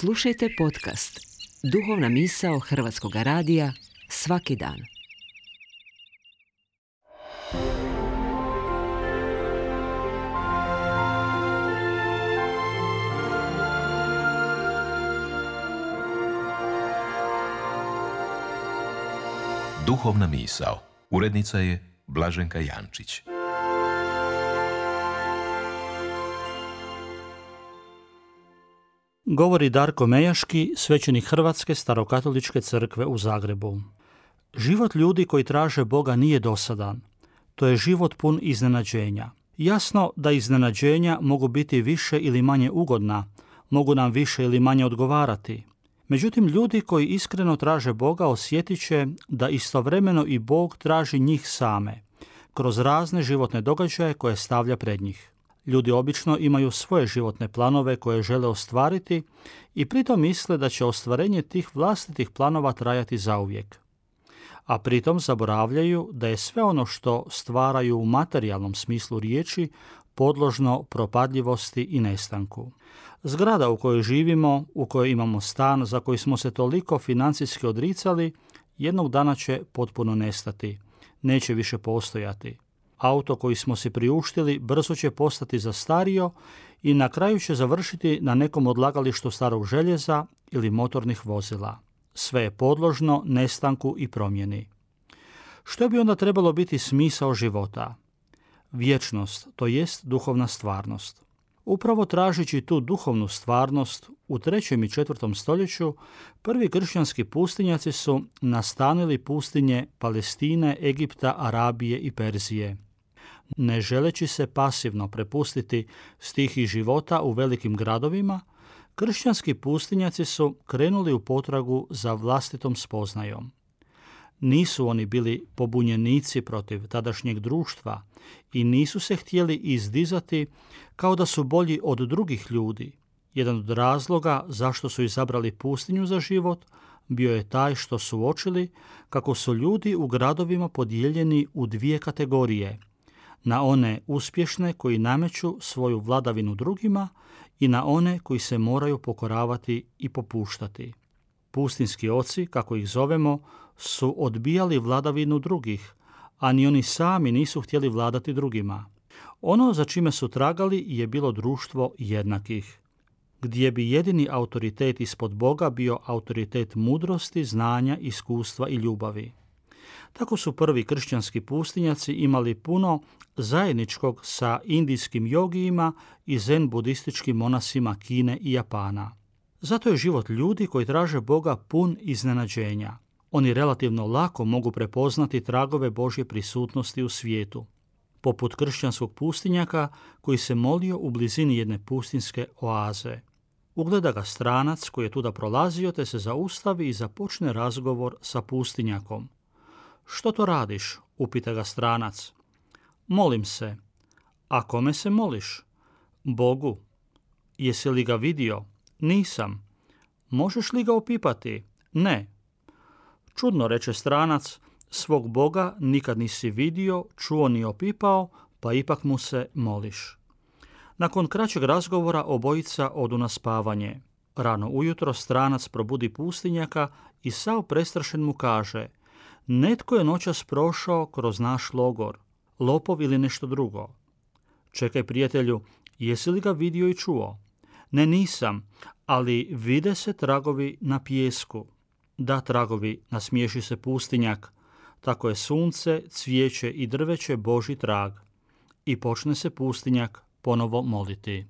Slušajte podcast Duhovna misao Hrvatskog radija svaki dan. Duhovna misao. Urednica je Blaženka Jančić. Govori Darko Mejaški, svećenik Hrvatske starokatoličke crkve u Zagrebu. Život ljudi koji traže Boga nije dosadan. To je život pun iznenađenja. Jasno da iznenađenja mogu biti više ili manje ugodna, mogu nam više ili manje odgovarati. Međutim, ljudi koji iskreno traže Boga osjetit će da istovremeno i Bog traži njih same, kroz razne životne događaje koje stavlja pred njih. Ljudi obično imaju svoje životne planove koje žele ostvariti i pritom misle da će ostvarenje tih vlastitih planova trajati zauvijek. A pritom zaboravljaju da je sve ono što stvaraju u materijalnom smislu riječi podložno propadljivosti i nestanku. Zgrada u kojoj živimo, u kojoj imamo stan za koji smo se toliko financijski odricali, jednog dana će potpuno nestati, neće više postojati. Auto koji smo si priuštili brzo će postati zastario i na kraju će završiti na nekom odlagalištu starog željeza ili motornih vozila. Sve je podložno nestanku i promjeni. Što bi onda trebalo biti smisao života? Vječnost, to jest duhovna stvarnost. Upravo tražeći tu duhovnu stvarnost, u 3. i 4. stoljeću prvi kršćanski pustinjaci su nastanili pustinje Palestine, Egipta, Arabije i Perzije. Ne želeći se pasivno prepustiti stihiji života u velikim gradovima, kršćanski pustinjaci su krenuli u potragu za vlastitom spoznajom. Nisu oni bili pobunjenici protiv tadašnjeg društva i nisu se htjeli izdizati kao da su bolji od drugih ljudi. Jedan od razloga zašto su izabrali pustinju za život bio je taj što su uočili kako su ljudi u gradovima podijeljeni u dvije kategorije, na one uspješne koji nameću svoju vladavinu drugima i na one koji se moraju pokoravati i popuštati. Pustinski oci, kako ih zovemo, su odbijali vladavinu drugih, a ni oni sami nisu htjeli vladati drugima. Ono za čime su tragali je bilo društvo jednakih, gdje bi jedini autoritet ispod Boga bio autoritet mudrosti, znanja, iskustva i ljubavi. Tako su prvi kršćanski pustinjaci imali puno zajedničkog sa indijskim jogijima i zen budističkim monasima Kine i Japana. Zato je život ljudi koji traže Boga pun iznenađenja. Oni relativno lako mogu prepoznati tragove Božje prisutnosti u svijetu, poput kršćanskog pustinjaka koji se molio u blizini jedne pustinske oaze. Ugleda ga stranac koji je tuda prolazio te se zaustavi i započne razgovor sa pustinjakom. Što to radiš? Upita ga stranac. Molim se. A kome se moliš? Bogu. Jesi li ga vidio? Nisam. Možeš li ga opipati? Ne. Čudno, reče stranac, svog Boga nikad nisi vidio, čuo ni opipao, pa ipak mu se moliš. Nakon kraćeg razgovora obojica odu na spavanje. Rano ujutro stranac probudi pustinjaka i sav prestrašen mu kaže: netko je noćas prošao kroz naš logor, lopov ili nešto drugo. Čekaj, prijatelju, jesi li ga vidio i čuo? Ne, nisam, ali vide se tragovi na pijesku. Da, tragovi, nasmiješi se pustinjak. Tako je sunce, cvijeće i drveće Božji trag. I počne se pustinjak ponovo moliti.